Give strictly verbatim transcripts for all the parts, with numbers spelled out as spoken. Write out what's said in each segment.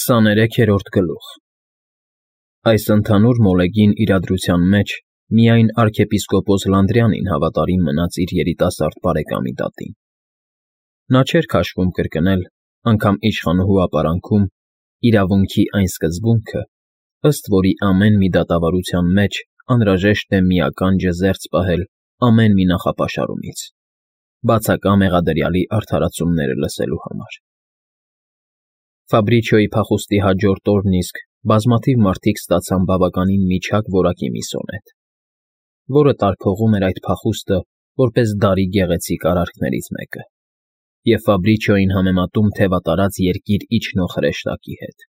Քսաներեքերորդ գլուխ Այս ընդհանուր մոլեգին իրադրության մեջ միայն arczepiskopos Լանդրյանին հավատարիմ մնաց իր երիտասարդ բարեկամի դատին. նա չէր քաշվում կրկնել, անգամ իշխանուհու ապարանքում, իրավունքի այն սկզբունքը, ըստ որի ամեն մի դատավարության մեջ անհրաժեշտ է մի ականջը զերծ պահել ամեն մի նախապաշարումից, բացակա մեղադրյալի արդարացումները լսելու համար։ Ֆաբրիչիոյի փախուստի հաջորդ օրն իսկ բազմաթիվ մարդիկ ստացան բավականին միջակ որակի մի սոնետ, որը տարփողում էր այդ փախուստը որպես դարի գեղեցիկ արարքներից մեկը, և Ֆաբրիչիոյին համեմատում թևատարած երկիր իջնող հրեշտակի հետ։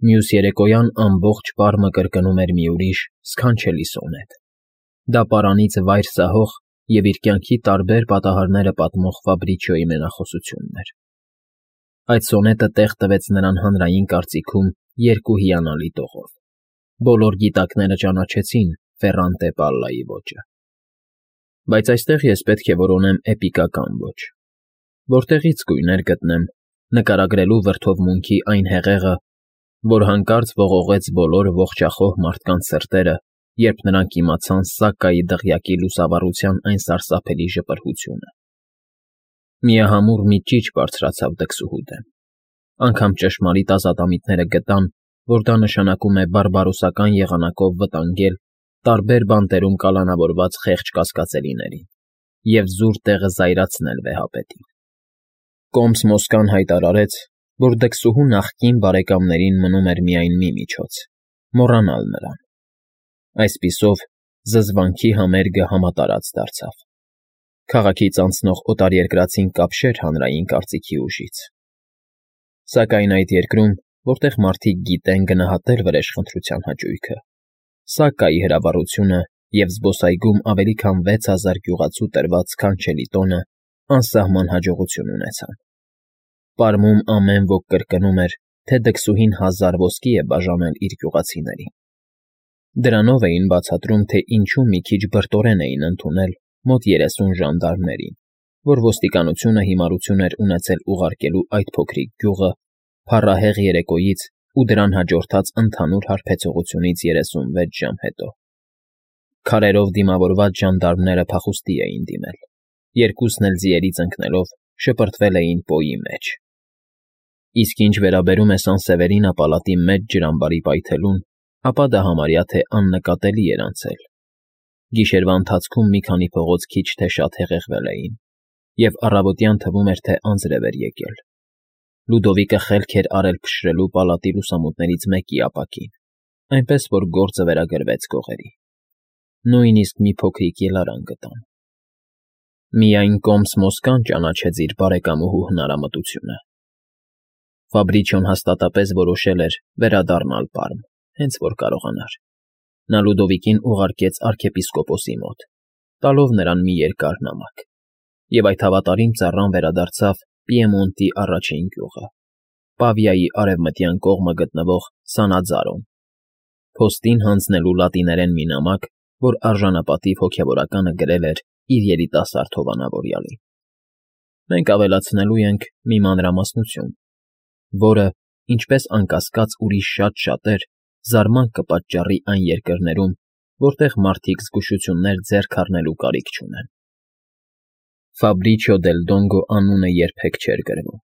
Մյուս երեկոյան ամբողջ պարմը կրկնում էր մի ուրիշ սքանչելի սոնետ։ Դա պարանից վայր սահող և իր կյանքի տարբեր պատահարները պատմող Ֆաբրիչիոյի մենախոսությունն էր։ Այդ սոնետը տեղ տվեց նրան հանրային կարծիքում երկու հիանալի տողով. բոլոր գիտակները ճանաչեցին Ֆերրանտե Պալլայի ոճը։ Բայց այստեղ ես պետք է որոնեմ էպիկական ոճ, որտեղից գույներ գտնեմ նկարագրելու վրդովմունքի այն հեղեղը, որ հանկարծ ողողեց բոլոր ողջախոհ մարդկանց սրտերը, երբ նրանք իմացան Սակկայի դղյակի լուսավառության այն սարսափելի ժպրհությունը։ Միահամուռ մի ճիչ բարձրացավ դքսուհու դեմ։ Անգամ ճշմարիտ ազատամիտները գտան, որ դա նշանակում է բարբարոսական եղանակով վտանգել տարբեր բանտերում կալանավորված խեղճ կասկածելիներին և զուր տեղը զայրացնել վեհապետին։ Կոմս Մոսկան հայտարարեց, որ դքսուհու նախկին բարեկամներին մնում էր միայն մի միջոց՝ մոռանալ նրան։ Այսպիսով, զզվանքի համերգը համատարած դարձավ։ Քաղաքից անցնող օտարերկրացին կապշեր հանրային կարծիքի ուժից։ Սակայն այդ երկրում, որտեղ մարդիկ գիտեն գնահատել վրեժխնդրության հաճույքը, Սակկայի հրավառությունը և զբոսայգում ավելի քան վեց հազար գյուղացու տրված սքանչելի տոնը անսահման հաջողություն ունեցան։ Պարմում ամեն ոք կրկնում էր, թե դքսուհին հազար ոսկի է բաժանել իր գյուղացիներին։ Դրանով էին բացատրում, թե ինչու մի քիչ բրտորեն էին ընդունել մոտ երեսուն ժանդարմներին, որ ոստիկանությունը հիմարություն էր ունեցել ուղարկելու այդ փոքրիկ գյուղը փառահեղ երեկոյից ու դրան հաջորդած ընդհանուր հարբեցողությունից երեսունվեց ժամ հետո։ Քարերով դիմավորված ժանդարմները փախուստի էին դիմել, երկուսն էլ ձիերից ընկնելով շպրտվել էին պոյի մեջ։ Իսկ ինչ վերաբերում է Սան֊Սևերինա պալատի մեծ ջրամբարի պայթելուն, ապա դա համարյա թե աննկատելի էր անցել։ Գիշերվա ընթացքում մի քանի փողոց քիչ թե շատ հեղեղվել էին, և առավոտյան թվում էր, թե անձրև էր եկել։ Լյուդովիկը խելք էր արել փշրելու պալատի լուսամուտներից մեկի ապակին, այնպես որ գործը վերագրվեց գողերի։ Նույնիսկ մի փոքրիկ ելարան գտան։ Միայն Կոմս Մոսկան ճանաչեց իր բարեկամուհու հնարամտությունը։ Ֆաբրիչիոն հաստատապես որոշել էր վերադառնալ Պարմ, հենց որ կարողանար։ Նա Լյուդովիկին ուղարկեց arczepiskopos-ի մոտ, տալով նրան մի երկար նամակ, և այդ հավատարիմ ծառան վերադարձավ Պիեմոնտի առաջին գյուղը, Պավիայի արևմտյան կողմը գտնվող Սանաձարոն, փոստին հանձնելու լատիներեն մի նամակ, որ արժանապատիվ հոգևորականը գրել էր իր երիտասարդ հովանավորյալին։ Մենք ավելացնելու ենք մի մանրամասնություն, որը, ինչպես անկասկած ուրիշ շատ շատեր, զարմանք կպատճառի այն երկրներում, որտեղ մարդիկ զգուշություններ ձեռք առնելու կարիք չունեն։ Ֆաբրիչիո դել Դոնգո անունը երբեք չէր գրվում։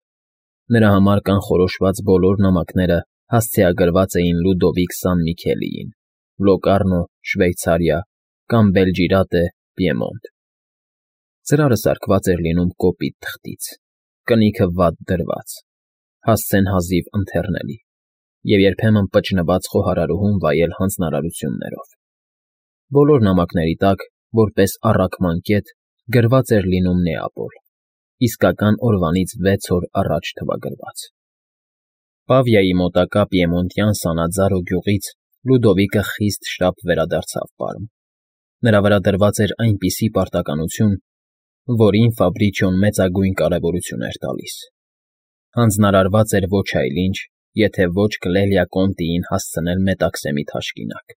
Նրա համար կանխորոշված բոլոր նամակները հասցեագրված էին Լյուդովիկ Սան֊Միքելիին, Լոկառնո, Շվեյցարիա կամ Բելջիրատե, Պիեմոնտ։ Ծրարը սարքված էր լինում կոպիտ թղթից, կնիքը վատ դրված, հասցեն հազիվ ընթեռնելի և երբեմն պճնված խոհարարուհուն վայել հանձնարարություններով։ Բոլոր նամակների տակ, որպես առաքման կետ, գրված էր լինում Նեապոլ, իսկական օրվանից վեց օր առաջ թվագրված։ Պավիայի մոտակա պիեմոնտյան Սանաձարո գյուղից Լյուդովիկը խիստ շտապ վերադարձավ Պարմ։ Նրա վրա դրված էր այնպիսի պարտականություն, որին Ֆաբրիչիոն մեծագույն կարևորություն էր տալիս։ Հանձնարարված էր ոչ այլ ինչ, եթե ոչ Կլելիա Կոնտիին հասցնել Մետաքսեմի թաշկինակ,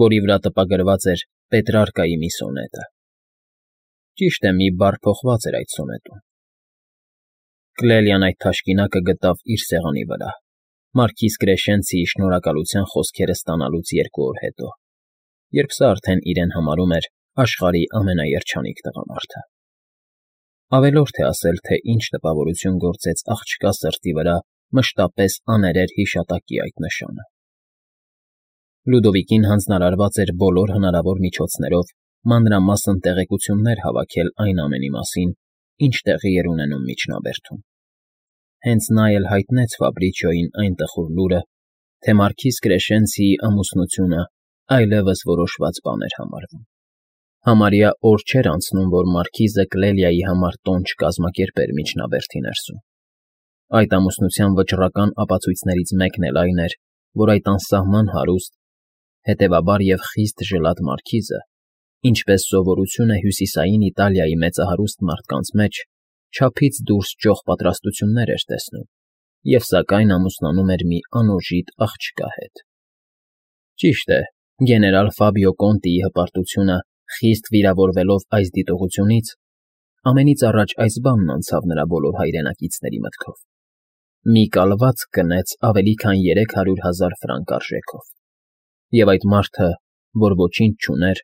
որի վրա տպագրված էր Պետրարկայի մի սոնետը։ Ճիշտ է, մի բառ փոխված էր այդ սոնետում։ Կլելիան այդ թաշկինակը գտավ իր սեղանի վրա, մարքիզ Կրեշենցիի շնորհակալության խոսքերը ստանալուց երկու օր հետո, երբ սա արդեն իրեն համարում էր աշխարհի ամենաերջանիկ տղամարդը։ Ավելորդ է ասել, թե ինչ տպավորություն գործեց աղջկա սրտի վրա մշտապես աներեր հիշատակի այդ նշանը։ Լյուդովիկին հանձնարարված էր բոլոր հնարավոր միջոցներով մանրամասն տեղեկություններ հավաքել այն ամենի մասին, ինչ տեղի էր ունենում միջնաբերդում։ Հենց նա էլ հայտնեց Ֆաբրիչիոյին այն տխուր լուրը, թե մարքիզ Կրեշենցիի ամուսնությունը այլևս որոշված բան էր համարվում։ Համարյա օր չէր անցնում, որ մարքիզը Կլելիայի համար տոն չկազմակերպեր միջնաբերդի ներսում։ Այդ ամուսնության վճռական ապացույցներից մեկն էլ այն էր, որ այդ անսահման հարուստ, հետևաբար և խիստ ժլատ մարքիզը, ինչպես սովորություն է հյուսիսային Իտալիայի մեծահարուստ մարդկանց մեջ, չափից դուրս ճոխ պատրաստություններ էր տեսնում և սակայն ամուսնանում էր մի անօժիտ աղջկա հետ։ Ճիշտ է, գեներալ Ֆաբիո Կոնտիի հպարտությունը, խիստ վիրավորվելով այս դիտողությունից, ամենից առաջ այս բանն անցավ նրա բոլոր հայրենակիցների մտքով. մի կալվածք գնեց ավելի քան երեք հարյուր հազար ֆրանկ արժեքով, և այդ մարդը, որ ոչինչ չուներ,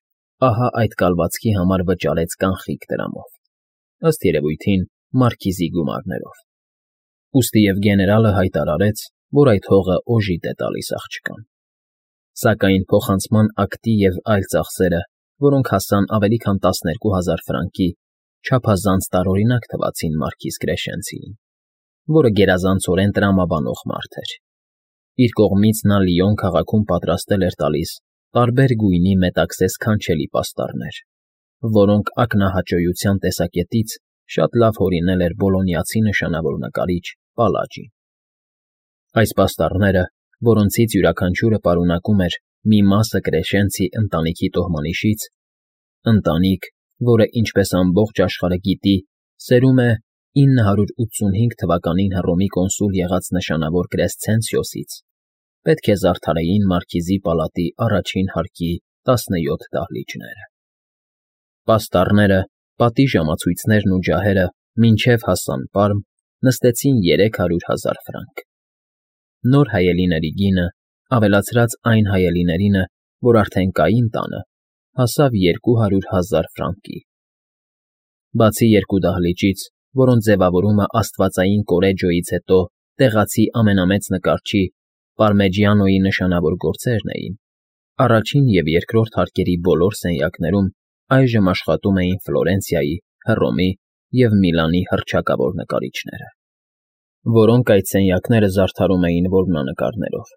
ահա այդ կալվածքի համար վճարեց կանխիկ դրամով, ըստ երևույթին մարքիզի գումարներով։ Ուստի և գեներալը հայտարարեց, որ այդ հողը օժիտ է տալիս աղջկան։ Սակայն փոխանցման ակտի և այլ ծախսերը, որոնք հասան ավելի քան տասներկու հազար ֆրանկի, չափազանց տարօրինակ թվացին մարքիզ Կրեշենցիին, որը գերազանցորեն տրամաբանող մարդ էր։ Իր կողմից նա Լիոն քաղաքում պատրաստել էր տալիս տարբեր գույնի մետաքսե սքանչելի պաստառներ, որոնք ակնահաճոյության տեսակետից շատ լավ հորինել էր բոլոնիացի նշանավոր նկարիչ Պալաջին։ Այս պաստառները, որոնցից յուրաքանչյուրը պարունակում էր մի մասը Կրեշենցի ընտանիքի տոհմանիշից, ընտանիք, որը, ինչպես ամբողջ աշխարհը գիտի, սերում է ինը հարյուր ութսունհինգ թվականին Հռոմի կոնսուլ եղած նշանավոր Կրեսցենսիոսից, պետք է զարդարեին մարքիզի պալատի առաջին հարկի տասնյոթ դահլիճները։ Պաստառները, պատի ժամացույցներն ու ջահերը մինչև հասան Պարմ, նստեցին երեք հարյուր հազար ֆրանկ։ Նոր հայելիների գինը, ավելացրած այն հայելիներինը, որ արդեն կային տանը, հասավ երկու հարյուր հազար ֆրանկի։ Բացի երկու դահլիճից, որոնց ձևավորումը աստվածային Կորեջոյից հետո տեղացի ամենամեծ նկարչի Պարմեջիանոյի նշանավոր գործերն էին, առաջին և երկրորդ հարկերի բոլոր սենյակներում այժմ աշխատում էին Ֆլորենցիայի, Հռոմի և Միլանի հռչակավոր նկարիչները, որոնք այդ սենյակները զարդարում էին որմնանկարներով։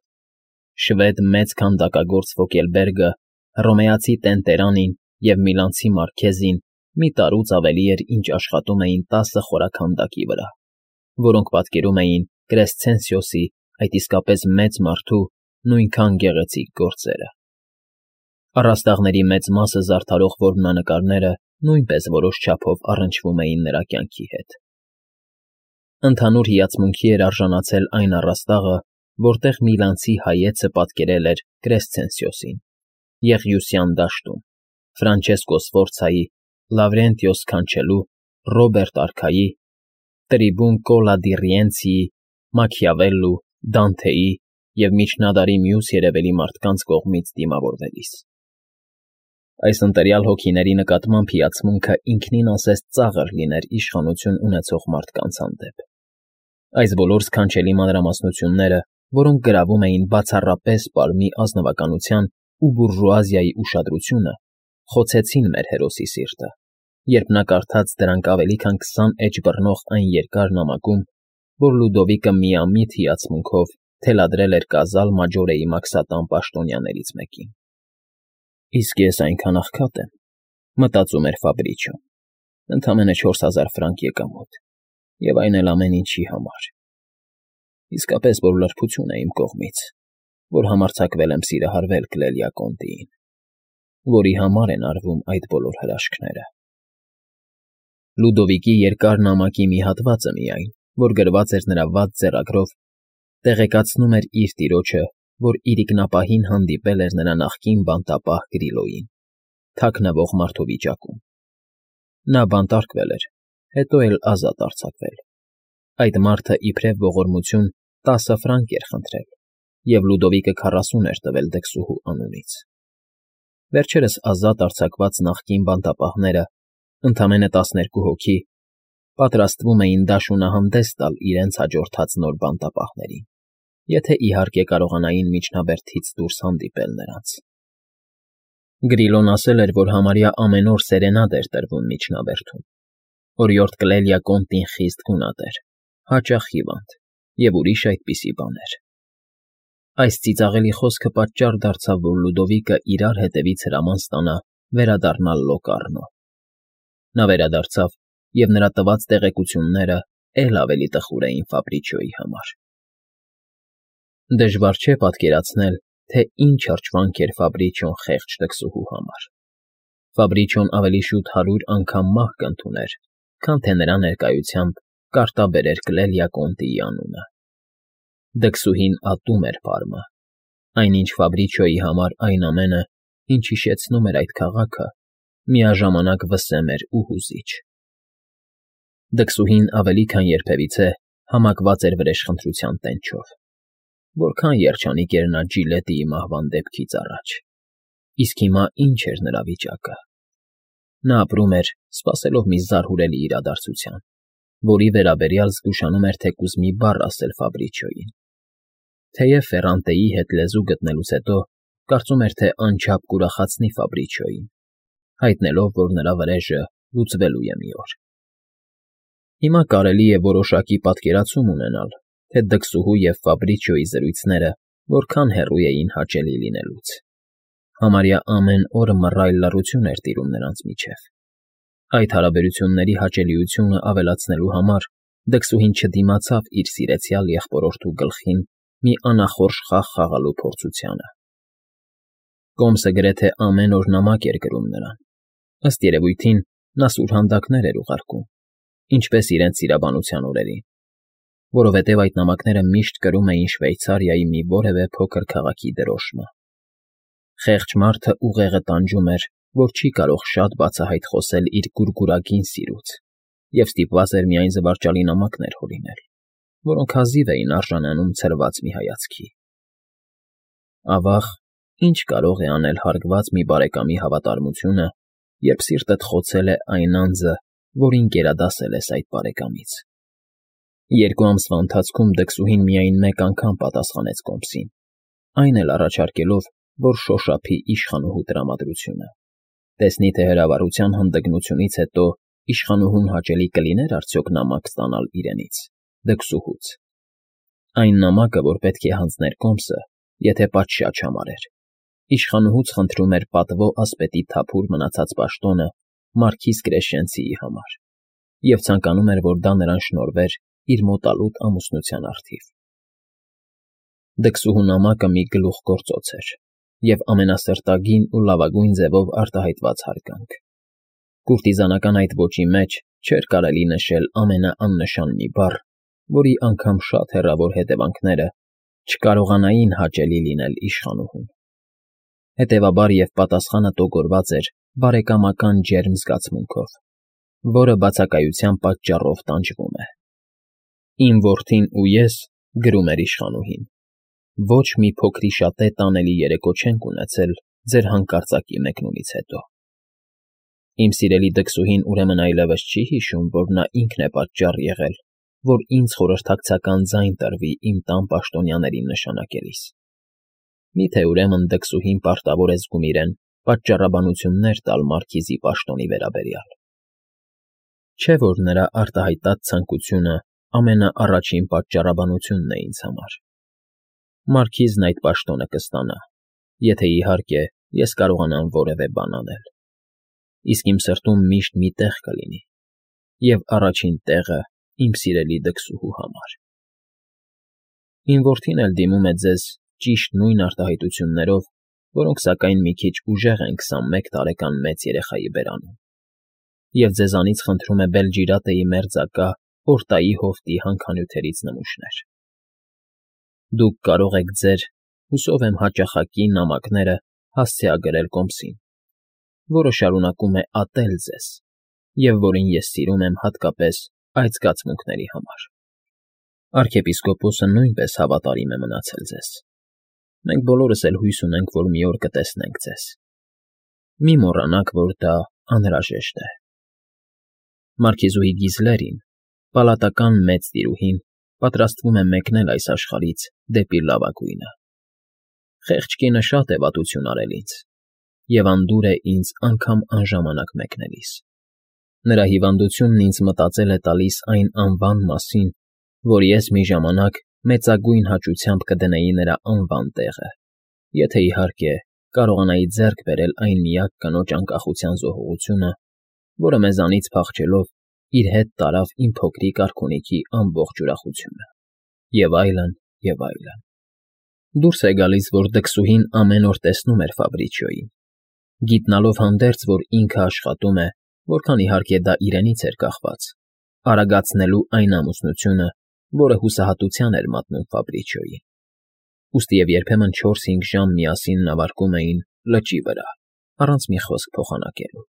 Շվեդ մեծ քանդակագործ Ֆոկելբերգը, հռոմեացի Տենտերանին և միլանցի Մարքեզին մի տարուց ավելի էր, ինչ աշխատում էին տասը խորաքանդակի վրա, որոնք պատկերում էին Կրեսցենսիոսի, այդ իսկապես մեծ մարդու նույնքան գեղեցիկ գործերը։ Առաստաղների մեծ մասը զարդարող որմնանկարները նույնպես որոշ չափով առնչվում էին նրա կյանքի հետ։ Ընդհանուր հիացմունքի էր արժանացել այն առաստաղը, որտեղ միլանցի հայեցը պատկերել էր Կրեսցենսիոսին, Եղիուսյան դաշտում, Ֆրանչեսկո Սֆորցայի, Լավրենտիո Սքանչելու, Ռոբերտ արքայի, Տրիբուն Կոլա դի Ռիենցիի, Մաքիավելլու, Դանթեի և միջնադարի մյուս երևելի մարդկանց կողմից դիմավորվելիս։ Այս ընտելյալ հոգիների նկատմամբ հիացմունքը ինքնին ասես ծաղր լիներ իշխանություն ունեցող մարդկանց հանդեպ։ Այս բոլոր սքանչելի մանրամասնությունները, որոնք գրավում էին բացառապես Պարմի ազնվականության ու բուրժուազիայի ուշադրությունը, խոցեցին մեր հերոսի սիրտը, երբ նա կարդաց դրանք ավելի քան քսան էջ բռնող այն երկար նամակում, որ Լյուդովիկը միամիտ հիացմունքով թելադրել էր Կազալ Մաջորեի մաքսատան պաշտոնյաներից մեկին։ «Իսկ ես այնքան աղքատ եմ,֊ մտածում էր Ֆաբրիչիոն,֊ ընդամենը չորս հազար ֆրանկ եկամուտ, և այն էլ ամեն ինչի համար… Իսկապես որ լրբություն է իմ կողմից, որ համարձակվել եմ սիրահարվել Կլելիա Կոնտիին, որի համար են արվում այդ բոլոր հրաշքները»։ Լյուդովիկի երկար նամակի մի հատվածը միայն, որ գրված էր նրա վատ ձեռագրով, տեղեկացնում էր իր տիրոջը, որ իրիկնապահին հանդիպել էր նրա նախկին բանտապահ Գրիլոյին, թաքնվող մարդու վիճակում։ Նա բանտարկվել էր, հետո էլ ազատ արձակվել, Այդ մարդը իբրև ողորմություն տասը ֆրանկ էր խնդրել, և Լուդովիկը քառասուն էր տվել դքսուհու անունից։ Վերջերս ազատ արձակված նախկին բանտապահները, ընդամենը տասներկու հոգի, պատրաստվում էին դաշունահանդես տալ իրենց հաջորդած նոր բանտապահներին, եթե իհարկե կարողանային միջնաբերդից դուրս հանդիպել նրանց։ Գրիլոն ասել էր, որ համարյա ամեն օր սերենադ էր տրվում միջնաբերդում։ Օրիորդ Կլելիա Կոնտին խիստ գունատ էր, հաճախ հիվանդ և ուրիշ այդպիսի բաներ։ Այս ծիծաղելի խոսքը պատճառ դարձավ, որ Լուդովիկը իրար հետևից հրաման ստանա վերադառնալ Լոկառնո։ Նա վերադարձավ, և նրա տված տեղեկությունները էլ ավելի տխուր էին Ֆաբրիչիոյի համար։ Դժվար չէ պատկերացնել, թե ինչ հրճվանք էր Ֆաբրիչիոն խեղճ դքսուհու համար։ Ֆաբրիչիոն ավելի շուտ հարյուր անգամ մահ կընդուներ, քան թե նրա ներկայությամբ կարտաբերեր Կլելիա Կոնտիի անունը։ Դքսուհին ատում էր պարմը, այնինչ Ֆաբրիչիոյի համար այն ամենը, ինչ հիշեցնում էր այդ քաղաքը, միաժամանակ վսեմ էր ու հուզիչ։ Դքսուհին ավելի քան երբևիցե համակված էր վրեժխնդրության տենչով։ Որքան երջանիկ էր նա Ջիլետիի մահվան դեպքից առաջ։ Իսկ հիմա ինչ էր նրա վիճակը։ Նա ապրում էր, սպասելով մի զարհուրելի իրադարձության, որի վերաբերյալ զգուշանում էր թեկուզ մի բառ ասել Ֆաբրիչիոյին։ Թեև Ֆերրանտեի հետ լեզու գտնելուց հետո կարծում էր, թե անչափ կուրախացնի Ֆաբրիչիոյին, հայտնելով, որ նրա վրեժը լուծվելու է մի օր։ Հիմա կարելի է որոշակի պատկերացում ունենալ, թե դքսուհու և Ֆաբրիչիոյի զրույցները որքան հեռու էին հաճելի լինելուց։ Համարյա ամեն օր մռայլ լռություն էր տիրում նրանց միջև։ Այդ հարաբերությունների հաճելիությունը ավելացնելու համար դքսուհին չդիմացավ իր սիրեցյալ եղբորորդու գլխին մի անախորժ խաղ խաղալու փորձությանը։ Կոմսը գրեթե ամեն օր նամակ էր գրում նրան։ Ըստ երևույթին, նա սուրհանդակներ էր ուղարկում, ինչպես իրենց սիրաբանության օրերին, որովհետև այդ նամակները միշտ կրում էին Շվեյցարիայի մի որևէ փոքր քաղաքի դրոշմը։ Խեղճ մարդը ուղեղը տանջում էր, որ չի կարող շատ բացահայտ խոսել իր գուրգուրագին սիրուց, և ստիպված էր միայն զվարճալի նամակներ հորինել, որոնք հազիվ էին արժանանում ցրված մի հայացքի։ Ավաղ, ինչ կարող է անել հարգված մի բարեկամի հավատարմությունը, երբ սիրտդ խոցել է այն անձը, որին գերադասել ես այդ բարեկամից։ Երկու ամսվա ընթացքում դքսուհին միայն մեկ անգամ պատասխանեց Կոմսին, այն էլ առաջարկելով, որ շոշափի իշխանուհու տրամադրությունը։ Տեսնի, թե հրավառության հանդգնությունից հետո իշխանուհուն հաճելի կլիներ արդյոք նամակ ստանալ իրենից, դքսուհուց։ Այն նամակը, որ պետք է հանձներ Կոմսը, եթե պատշաճ համարեր, իշխանուհուց խնդրում էր պատվո ասպետի թափուր մնացած պաշտոնը մարքիզ Կրեշենցիի համար և ցանկանում էր, որ դա նրան շնորհվեր իր մոտալուտ ամուսնության առթիվ։ Դքսուհու նամակը մի գլուխգործոց էր և ամենասրտագին ու լավագույն ձևով արտահայտված հարգանք։ Կուրտիզանական այդ ոճի մեջ չէր կարելի նշել ամենաաննշան մի բառ, որի անգամ շատ հեռավոր հետևանքները չկարողանային հաճելի լինել իշխանուհուն։ Հետևաբար և պատասխանը տոգորված էր բարեկամական ջերմ զգացմունքով, որը բացակայության պատճառով տանջվում է։ Իմ որդին ու ես, գրում էր իշխանուհին, ոչ մի փոքրիշատե տանելի երեկո չենք ունեցել ձեր հանկարծակի մեկնումից հետո։ Իմ սիրելի դքսուհին ուրեմն այլևս չի հիշում, որ նա ինքն է պատճառ եղել, որ ինձ խորհրդակցական ձայն տրվի իմ տան պաշտոնյաներին նշանակելիս։ Մի՞թե ուրեմն դքսուհին պարտավոր է զգում իրեն պատճառաբանություններ տալ մարքիզի պաշտոնի վերաբերյալ։ Չէ՞ որ նրա արտահայտած ցանկությունը ամենաառաջին պատճառաբանությունն է ինձ համար։ Մարքիզն այդ պաշտոնը կստանա, եթե իհարկե ես կարողանամ որևէ բան անել։ Իսկ իմ սրտում միշտ մի տեղ կլինի, և առաջին տեղը իմ սիրելի դքսուհու համար։ Իմ որդին էլ դիմում է ձեզ ճիշտ նույն արտահայտություններով, որոնք, սակայն, մի քիչ ուժեղ են քսանմեկ տարեկան մեծ երեխայի բերանում, և ձեզանից խնդրում է Բելջիրատեի մերձակա Օրտայի հովտի հանքանյութերից նմուշներ։ Դուք կարող եք ձեր, հուսով եմ հաճախակի նամակները հասցեագրել Կոմսին, որը շարունակում է ատել ձեզ և որին ես սիրում եմ հատկապես այդ զգացմունքների համար։ Արքեպիսկոպոսը նույնպես հավատարիմ է մնացել ձեզ։ Մենք բոլորս էլ հույս ունենք, որ մի օր կտեսնենք ձեզ։ Մի մոռանաք, որ դա անհրաժեշտ է։ Մարքիզուհի Գիզլերին, պալատական մեծ տիրուհին, պատրաստվում է մեկնել այս աշխարհից դեպի լավագույնը։ Խեղճ կինը շատ է վատություն արել ինձ, և անդուր է ինձ անգամ անժամանակ մեկնելիս։ Նրա հիվանդությունն ինձ մտածել է տալիս այն անվան մասին, որ ես մի ժամանակ մեծագույն հաճությամբ կդնեի նրա անվան տեղը, եթե, իհարկե, կարողանայի ձեռք բերել այն միակ կնոջ անկախության զոհողությունը, որը մեզանից փախչելով իր հետ տարավ իմ փոքրիկ արքունիքի ամբողջ ուրախությունը, և այլն, և այլն։ Դուրս է գալիս, որ դքսուհին ամեն օր տեսնում էր Ֆաբրիչիոյին, գիտնալով հանդերձ, որ ինքը աշխատում է, որքան, իհարկե, դա իրենից էր կախված, արագացնելու այն ամուսնությունը, որը հուսահատության էր մատնում Ֆաբրիչիոյին, ուստի և երբեմն չորս֊հինգ ժամ միասին նավարկում էին լճի վրա, առանց մի խոսք փոխանակելու։